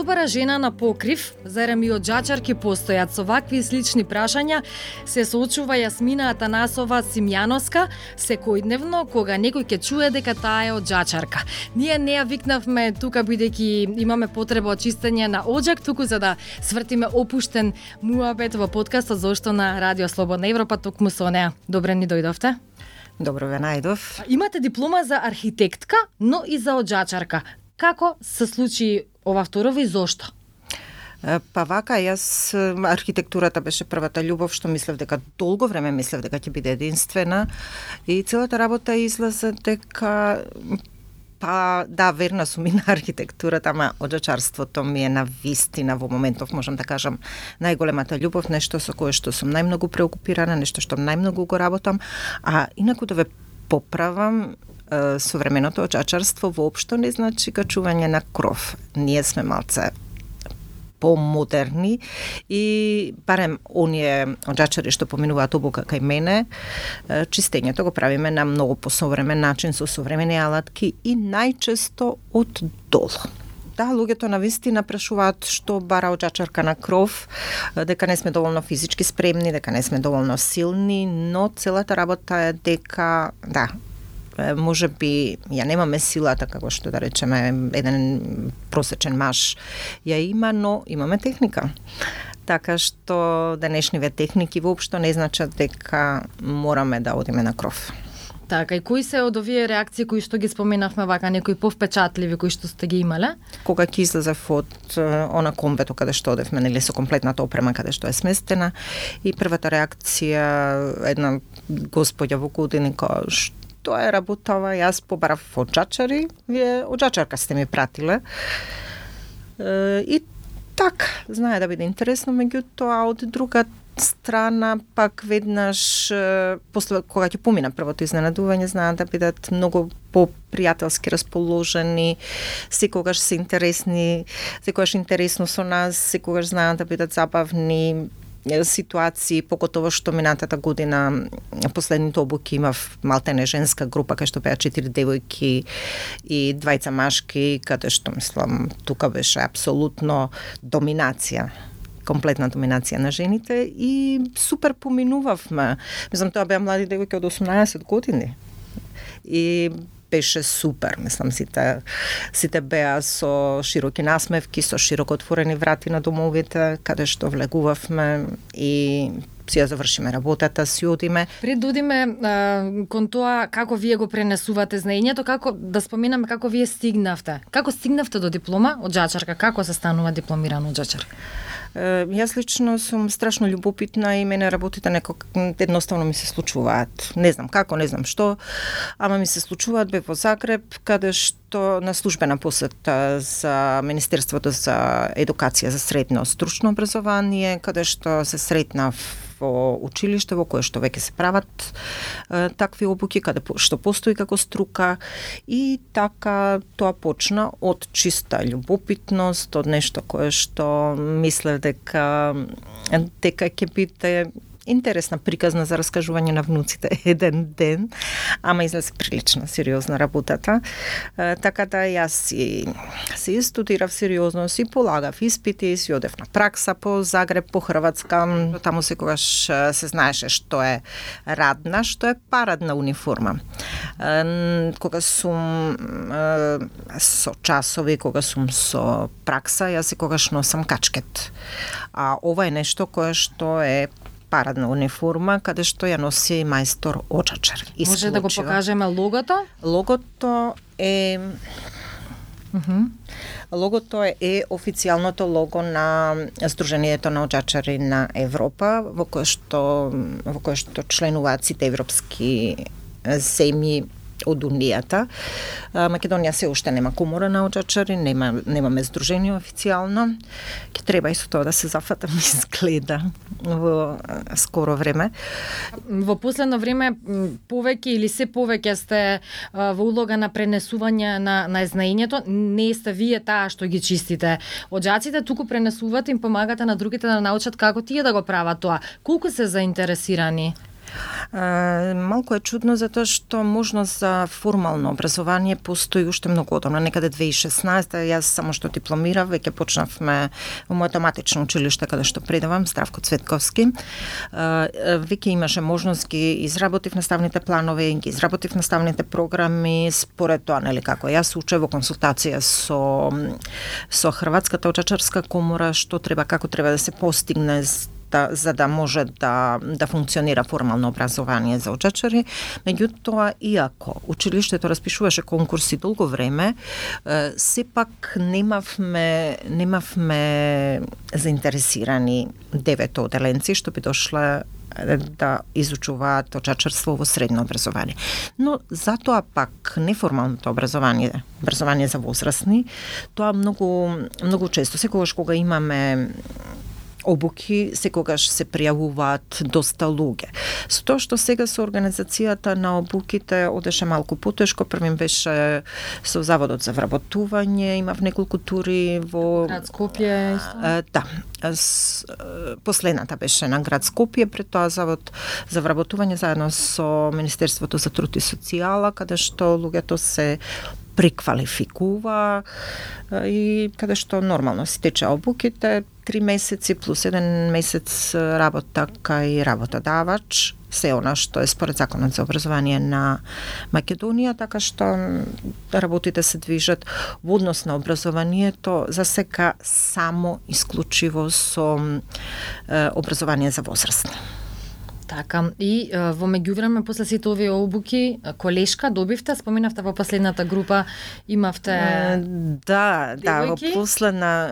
собара жена на покрив, зарем и од џачарки постојат со вакви и слични прашања, се соочува Јасмина Атанасова Симјановска секојдневно кога некој ќе чуе дека таа е од џачарка. Ние не ја викнавме тука бидејќи имаме потреба од чистење на оџак, туку за да свртиме опуштен муабет во подкастот зошто на Радио Слободна Европа токму со неа. Добре ни дојдовте. Добро ве најдов. Имате диплома за архитектка, но и за оџачарка. Како се случи ова второво и зошто? Па вака, јас архитектурата беше првата љубов што мислев дека долго време мислев дека ќе биде единствена и целата работа излезе дека па да, верна сум и на архитектурата, ама оџачарството ми е на вистина во моментов, можам да кажам, најголемата љубов, нешто со кое што сум најмногу преокупирана, нешто што најмногу го работам, а инаку да ве поправам, современото оџачарство воопшто не значи качување на кров. Ние сме малце помодерни и барем оние оџачари што поминуваат обука кај мене, чистењето го правиме на многу посовремен начин со современи алатки и најчесто од долу. Да, луѓето навистина прашуваат што бара оџачарка на кров, дека не сме доволно физички спремни, дека не сме доволно силни, но целата работа е дека, да, може би ја немаме силата како што да речеме еден просечен маж ја има, но имаме техника. Така што денешниве техники воопшто не значат дека мораме да одиме на кров. Така, и кои се од овие реакции кои што ги споменавме вака, некои повпечатливи кои што сте ги имале? Кога ќе излезев од она комбето каде што одевме, нели со комплетната опрема каде што е сместена, и првата реакција една господја во години кога тоа е работава, јас побарав оџачари, вие оџачарка сте ми пратиле. И така, знае да биде интересно, меѓутоа од друга страна пак веднаш после кога ќе помина првото изненадување, знаат да бидат многу попријателски расположени, секогаш се интересни, секогаш интересно со нас, секогаш знаат да бидат забавни ситуации, покотово што минатата година последните обуки имав малтене женска група кај што беа 4 девојки и 2 машки, каде што мислам тука беше апсолутно доминација, комплетна доминација на жените и супер поминувавме. Мислам, тоа беа млади девојки од 18 години. И беше супер, мислам, сите беа со широки насмевки, со широко отворени врати на домовите, каде што влегувавме и си ја завршиме работата, си одиме. Пред да одиме кон тоа како вие го пренесувате знаењето, како да споменаме како вие стигнавте. Како стигнавте до диплома оџачарка, како се станува дипломиран оџачар? Јас лично сум страшно љубопитна и мене работите некак едноставно ми се случуваат. Не знам како, не знам што, ама ми се случуваат. Бев во Загреб, каде што на службена посета за Министерството за едукација за средно стручно образование, каде што се сретнав во училиште во кое што веќе се прават такви обуки, каде што постои како струка, и така тоа почна од чиста љубопитност, од нешто кое што мислев дека ќе биде интересна приказна за раскажување на внуците еден ден, ама излезе прилично сериозна работата. Така да јас си студирав сериозно, си полагав испити, си одев на пракса по Загреб, по Хрватска. Таму секогаш се знаеше што е радна, што е парадна униформа. Кога сум со часови, кога сум со пракса, јас секогаш носам качкет. А ова е нешто кое што е парадна униформа, каде што ја носи мајстор оџачар. Може да го покажеме логото? Логото е Логото е официјалното лого на Сдруженијето на оџачари на Европа, во кое што членуваат сите европски земји од Унијата. Македонија се уште нема комора на оџачари, немаме здружение официјално. Ќе треба и со тоа да се зафатам, изгледа во скоро време. Во последно време повеќе или се повеќе сте во улога на пренесување на знаењето. Не сте вие таа што ги чистите оџаците, туку пренесувате, им помагате на другите да научат како тие да го прават тоа. Колку се заинтересирани? Малку е чудно затоа што можност за формално образование постои уште многу одамна, некаде 2016, јас само што дипломирав, веќе почнавме во моето матично училиште каде што предавам, Здравко Цветковски. Веќе имаше можност, ги изработив наставните планови, ги изработив наставните програми, според тоа, нели, како јас учев во консултација со Хрватската оджачарска комора, што треба, како треба да се постигне за да може да функционира формално образование за оджачари. Меѓутоа, иако училиштето распишуваше конкурси долго време, сепак немавме заинтересирани 9 оделенци што би дошле да изучуваат оджачарство во средно образование. Но затоа пак неформалното образование за возрастни, тоа многу често, секогаш кога имаме обуки, секогаш се пријавуваат доста луѓе. Со тоа што сега со организацијата на обуките одеше малку потешко, првим беше со Заводот за вработување, имав неколку тури во град Скопје. Да. Последната беше на град Скопје, пред тоа Завод за вработување заедно со Министерството за труд и социјала, каде што луѓето се преквалификува и каде што нормално си тече обуките, 3 месеци плюс 1 месец работа кај работодавач, се она што е според Законот за образование на Македонија, така што работите се движат во однос на образованието за сега само исклучиво со образование за возрастни. Така, и во меѓувреме после сите овие обуки, колешка добивте, споминавте во последната група имавте Да,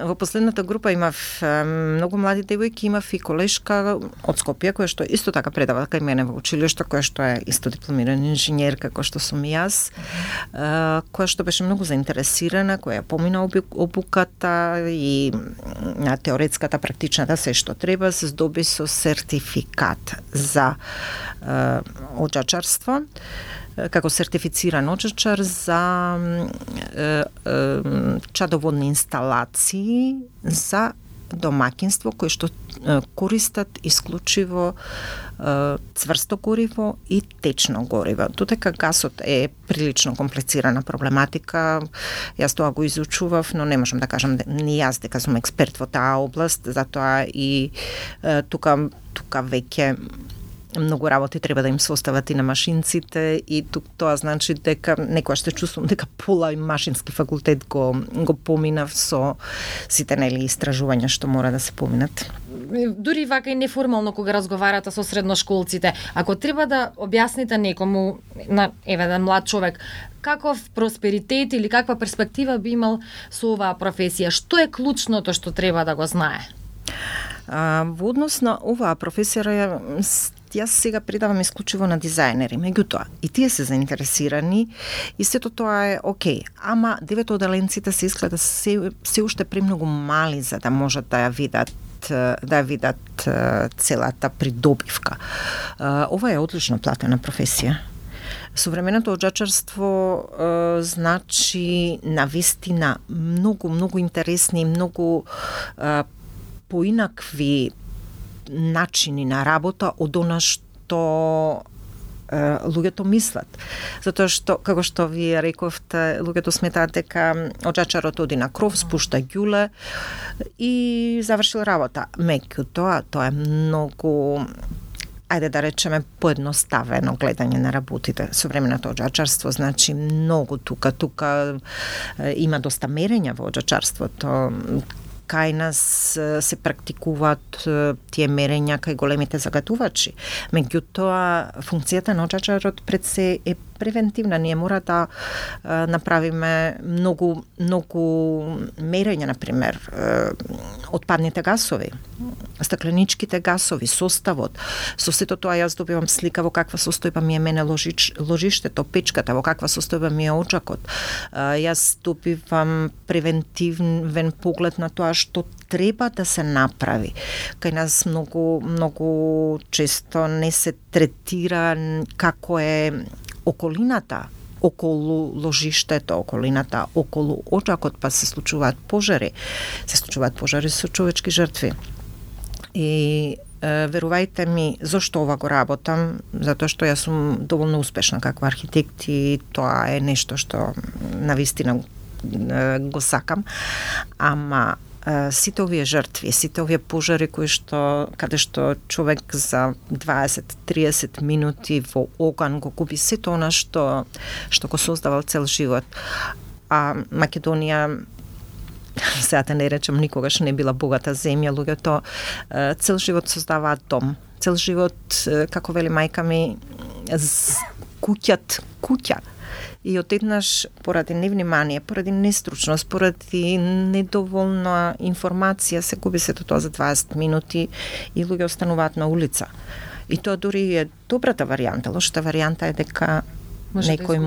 во последната група имав многу млади девојки, имав и колешка од Скопје, која што исто така предава кај мене во училиште, која што е исто дипломирана инженерка, која што сум јас, која што беше многу заинтересирана, која помина обуката и на теоретската, практичната, се што треба, се здоби со сертификат за оджачарство, како сертифициран оджачар за чадоводни инсталации за домаќинство кои што користат исклучиво цврсто гориво и течно гориво. Додека гасот е прилично комплицирана проблематика, јас тоа го изучував, но не можам да кажам ни јас дека сум експерт во таа област, затоа и тука веќе многу работи треба да им се остават и на машинците и тоа значи дека некојаш се чувствувам дека пола и машински факултет го поминав со сите нели истражувања што мора да се поминат. Дури вака и неформално кога разговарате со средношколците, ако треба да објасните некому, на млад човек, каков просперитет или каква перспектива би имал со оваа професија, што е клучното што треба да го знае? Во однос на оваа професија, јас сега предавам исклучиво на дизајнери, меѓутоа и тие се заинтересирани и сето тоа е окей, ама 9 оделенците се изгледа се уште премногу мали за да можат да ја видат целата придобивка. Ова е одлично платена професија. Современото оджачарство значи навистина многу интересни, многу поинакви начини на работа од она што луѓето мислат. Затоа што, како што вие рековте, луѓето сметаат дека оджачарот оди на кров, спушта ѓуле и завршил работа. Меѓутоа, тоа е многу, ајде да речеме, поедноставено гледање на работите. Современото оджачарство значи многу тука има доста мерења во оджачарството. Кај нас се практикуваат тие мерења кај големите загадувачи. Меѓутоа, функцијата на оджачарот пред се е превентивна. Ние мора да направиме многу мерења, например, отпадните гасови, стакленичките гасови, составот. Со сето тоа јас добивам слика во каква состојба ми е мене ложиштето, печката, во каква состојба ми е оджакот. Јас добивам превентивен поглед на тоа што треба да се направи. Кај нас многу често не се третира како е околината околу ложиштето, околината околу оджакот, па се случуваат пожари со човечки жртви. И верувајте ми, зошто ова го работам, затоа што јас сум доволно успешна како архитект и тоа е нешто што навистина го сакам, ама сите овие жртви, сите овие пожари каде што човек за 20-30 минути во оган го губи сето она што го создавал цел живот. А Македонија, сега да не речем, никогаш не била богата земја, луѓето цел живот создаваат дом, цел живот, како вели мајка ми, куќа. И одеднаш, поради невнимание, поради нестручност, поради недоволна информација, се губи сето тоа за 20 минути и луѓе остануваат на улица. И тоа дури е добрата варијанта. Лошата варијанта е дека некој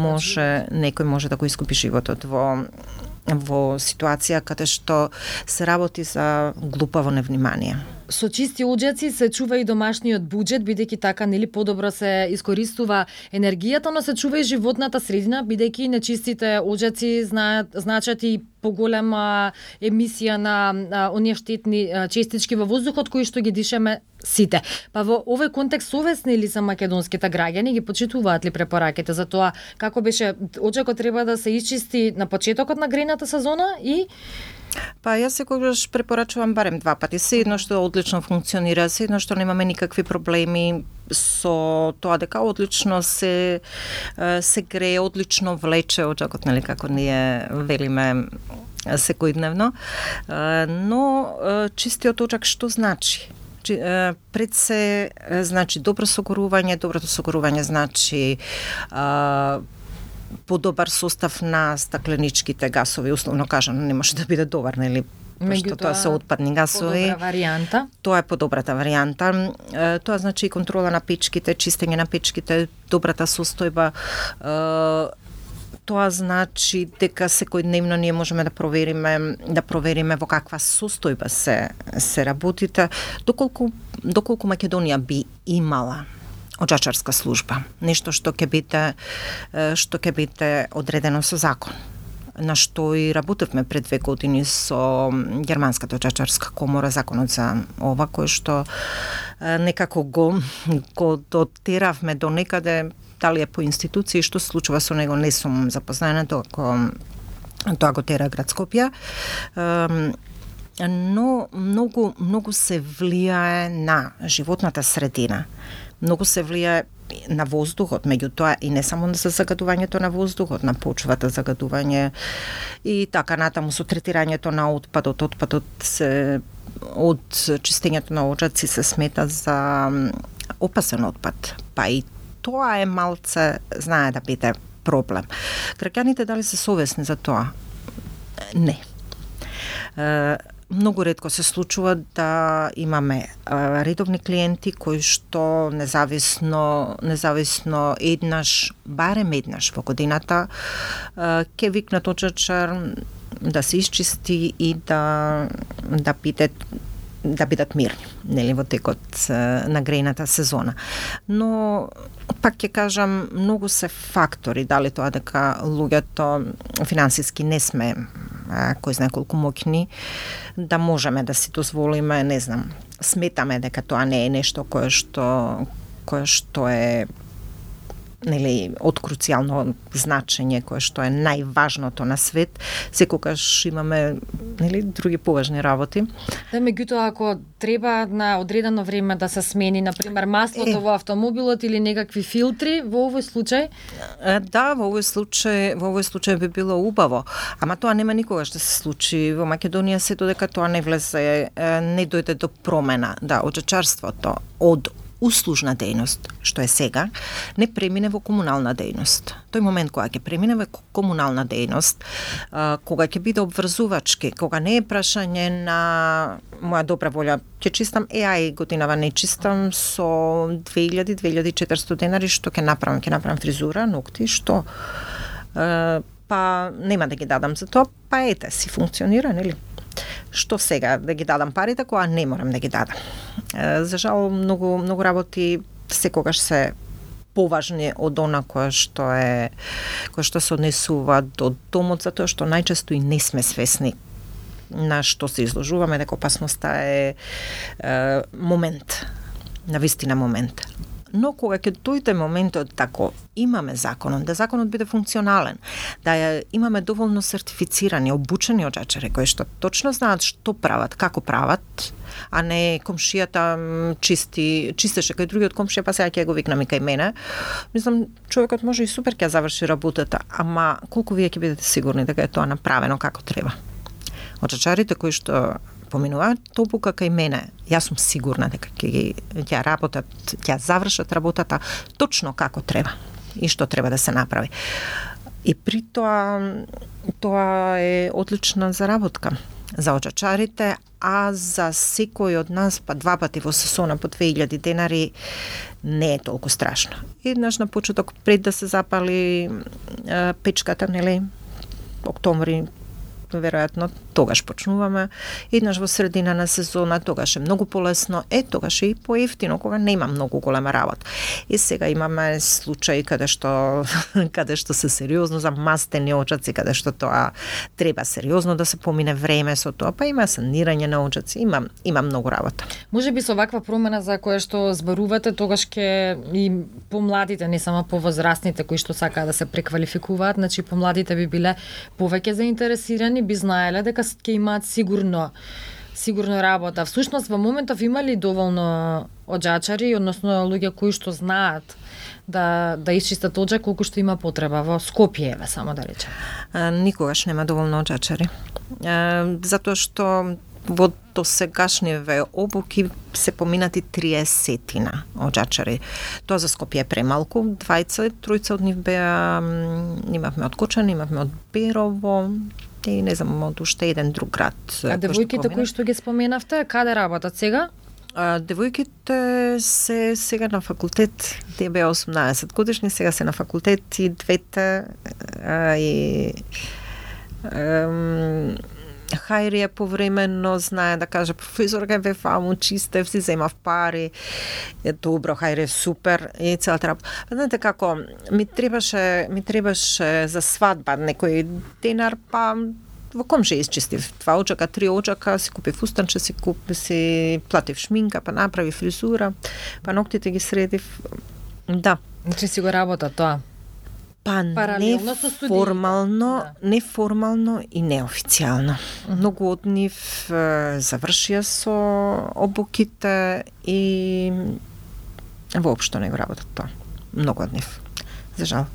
може да го изгуби животот во ситуација каде што се работи за глупаво невнимание. Со чисти оџаци се чува и домашниот буџет, бидејќи така нели подобро се искористува енергијата, но се чува и животната средина, бидејќи нечистите оџаци значат и поголема емисија на оние штетни честички во воздухот кои што ги дишеме сите. Па во овој контекст совесни ли се македонските граѓани, ги почитуваат ли препораките за тоа како беше оџакот треба да се исчисти на почетокот на грејната сезона и Па јас секогаш препорачувам барем 2 пати. Се едно што одлично функционира, се едно што немаме никакви проблеми со тоа дека одлично се грее, одлично влече оџакот, нели како ние велиме секојдневно. Но чистиот оџак што значи? Пред се значи добро согорување, доброто согорување значи подобар состав на стакленичките гасови, условно кажано, не може да биде добар, нели? Пошто тоа се отпадни гасови. Подобра варијанта. Тоа е подобрата варијанта. Тоа значи и контрола на печките, чистење на печките, добрата состојба. Тоа значи дека секојдневно ние можеме да провериме во каква состојба се работите, доколку Македонија би имала оџачарска служба, нешто што ќе биде одредено со закон, на што и работевме пред 2 години со Германската оџачарска комора, законот за ова, кој што некако го дотеравме до некаде, дали е по институции, што се случува со него, не сум запознаена, тоа го тера град Скопје. Но многу се влијае на животната средина. Многу се влијае на воздухот, меѓутоа и не само за загадувањето на воздухот, на почвата загадување и така натаму со третирањето на отпадот. Отпадот од чистењето на оџаци се смета за опасен отпад. Па и тоа е малце, знае да биде проблем. Граѓаните дали се совесни за тоа? Не. Многу ретко се случува да имаме редовни клиенти кои што независно барем еднаш во годината ќе викнат оџачар да се исчисти и да бидат мирни, нели, во текот на грејната сезона. Но пак ќе кажам, многу се фактори, дали тоа дека луѓето финансиски не сме кој знае колку моќни, да можеме да си дозволиме, не знам, сметаме дека тоа не е нешто кое што е нели од круцијално значење, кое што е најважното на свет. Секогаш имаме нели други поважни работи. Да, меѓутоа ако треба на одредено време да се смени, на пример, маслото во автомобилот или некакви филтри, во овој случај? Да, во овој случај би било убаво, ама тоа нема никогаш да се случи во Македонија се додека тоа не влезе, не дојде до промена. Да, оџачарството од услужна дејност, што е сега, не премине во комунална дејност. Тој момент кога ќе премине во комунална дејност, кога ќе биде обврзувачки, кога не е прашање на моја добра волја, ќе чистам, ај годинава не чистам со 2000-2400 денари, што ќе направам фризура, ногти, што па нема да ги дадам за тоа, па ете си функционира, нели? Што сега да ги дадам парите кога не морам да ги дадам. За жал многу работи секогаш се поважни од она кое што се однесува до домот, затоа што најчесто и не сме свесни на што се изложуваме, дека опасноста е момент. на вистина момент. Но кога ќе дојде моментот тако имаме законот, да законот биде функционален, да имаме доволно сертифицирани, обучени оджачари кои што точно знаат што прават, како прават, а не комшијата чистеше кај другиот комшија, па сега ќе го викнам и кај мене. Мислам, човекот може и супер ќе заврши работата, ама колку вие ќе бидете сигурни дека е тоа направено како треба? Оджачарите кои што поминуваат обука кај мене, јас сум сигурна дека ќе работат, ќе завршат работата точно како треба и што треба да се направи. И при тоа е одлична заработка за оджачарите, а за секој од нас па 2 пати во сезона по 2000 денари не е толку страшно. Еднаш на почеток пред да се запали печката, нели, октомври, веројатно тогаш почнуваме, еднаш во средина на сезона, тогаш е многу полесно, тогаш е и поевтино кога нема многу голема работа. И сега имаме случаи каде што се сериозно за мастени оджаци, каде што тоа треба сериозно да се помине време со тоа, па има санирање на оджаци, има многу работа. Можеби со ваква промена за која што зборувате, тогаш ќе и помладите, не само повозрастните кои што сакаат да се преквалификуваат, значи помладите би биле повеќе заинтересирани, би знаеле дека ќе имаат сигурно работа. Всушност во моментов има ли доволно оджачари, односно луѓе кои што знаат да исчистат оджак колку што има потреба во Скопје, само да речем? Никогаш нема доволно оджачари. Затоа што во досегашниве обуки се поминати 30-тина оджачари. Тоа за Скопје е премалку, 2-3 од нив беа, имавме од Кочани, имавме од Берово, и не знам, од уште еден друг град. А девојките кои што ги споменавте, каде работат сега? Девојките се сега на факултет, тие беа 18 годишни, сега се на факултет и двете Хајрија повремено знае да каже професорка бе фаму чистев, си земав пари. Добро, Хајрија супер и целата работа. Знаете како ми требаше за свадба некој денар, па во комшија isчистив 2 оджака, 3 оджака, си купив устанче, си платив шминка, па направи фризура, па ноктите ги средив. Да. Значи си го работа тоа? Па неформално и неофицијално. Многу од нив завршија со обуките и воопшто не го работат тоа. Многу од нив, за жал.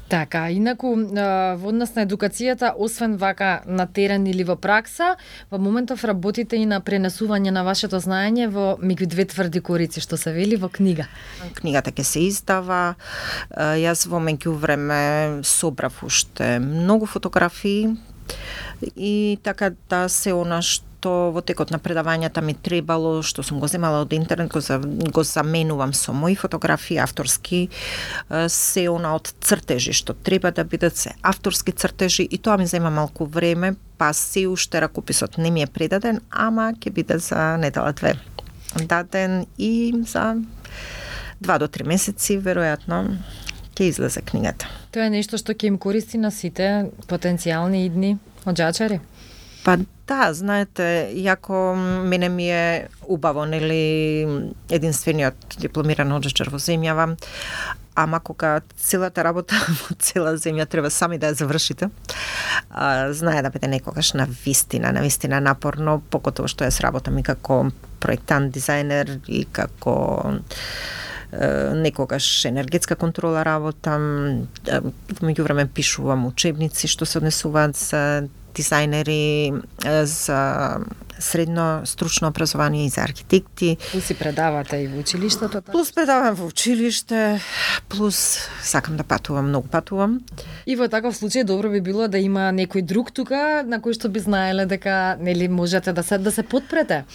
Така, инаку во однос на едукацијата, освен вака на терен или во пракса, во моментов работите и на пренесување на вашето знаење во меѓу 2 тврди корици, што се вели во книга. Книгата ќе се издава. Јас во меѓувреме собрав уште многу фотографии и така да се она што во текот на предавањата ми требало, што сум го земала од интернет, го заменувам со мои фотографии авторски, се она од цртежи што треба да бидат се авторски цртежи и тоа ми зема малку време, па се уште ракописот не ми е предаден, ама ќе биде за недела-2 даден и за 2 до 3 месеци веројатно ќе излезе книгата. Тоа е нешто што ќе им користи на сите потенцијални идни оджачари? Па да, знаете, јако мене ми е убаво, нели, единствениот дипломиран оджачар во земјава, ама кога целата работа во цела земја треба сами да ја завршите, знае да биде некогаш на вистина напорно, покотово што јас работам и како проектант, дизајнер и како некогаш енергетска контрола работам, меѓувреме пишувам учебници што се однесуваат за дизајнери, за средно стручно образование и за архитекти. Плюс си предавате и во училиштето? Плюс предавам во училиште, плюс сакам да патувам, многу патувам. И во таков случај добро би било да има некој друг тука на кој што би знаеле дека нели можете да се подпрете.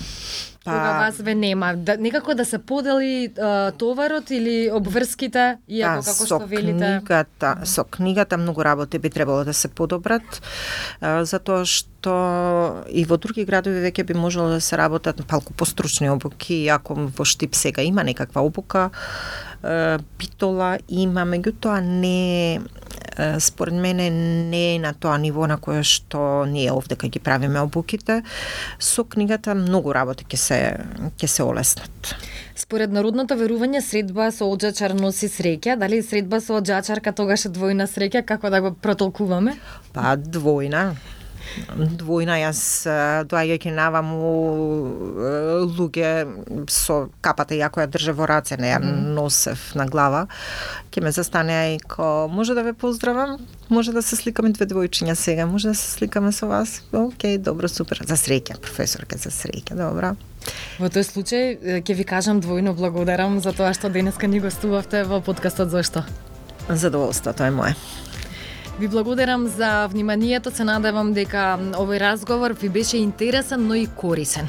Кога вас ве нема, некако да се подели товарот или обврските, иако како што велите. Со книгата многу работи би требало да се подобрат, затоа што и во други градови веќе би можело да се работат малку постручни обуки, иако во Штип сега има некаква обука, Битола има, меѓутоа не според мене не е на тоа ниво на кое што ние овде кога ги правиме обуките. Со книгата многу работи ќе се олеснат. Според народното верување, средба со оџачар носи среќа. Дали средба со оџачарка тогаш е двојна среќа? Како да го протолкуваме? Па двојна. Јас доаѓајќи наваму луѓе со капата ја која држа во раце, не ја носев на глава, ќе ме застане и ко може да ве поздравам, може да се сликаме две двојчиња сега, може да се сликаме со вас. Океј, добро, супер. За среќа, професорка, за среќа, добро. Во тој случај ќе ви кажам двојно благодарам за тоа што денеска ни гостувавте во подкастот Зошто. Задоволството е мое. Ви благодарам за вниманието, се надевам дека овој разговор ви беше интересен, но и корисен.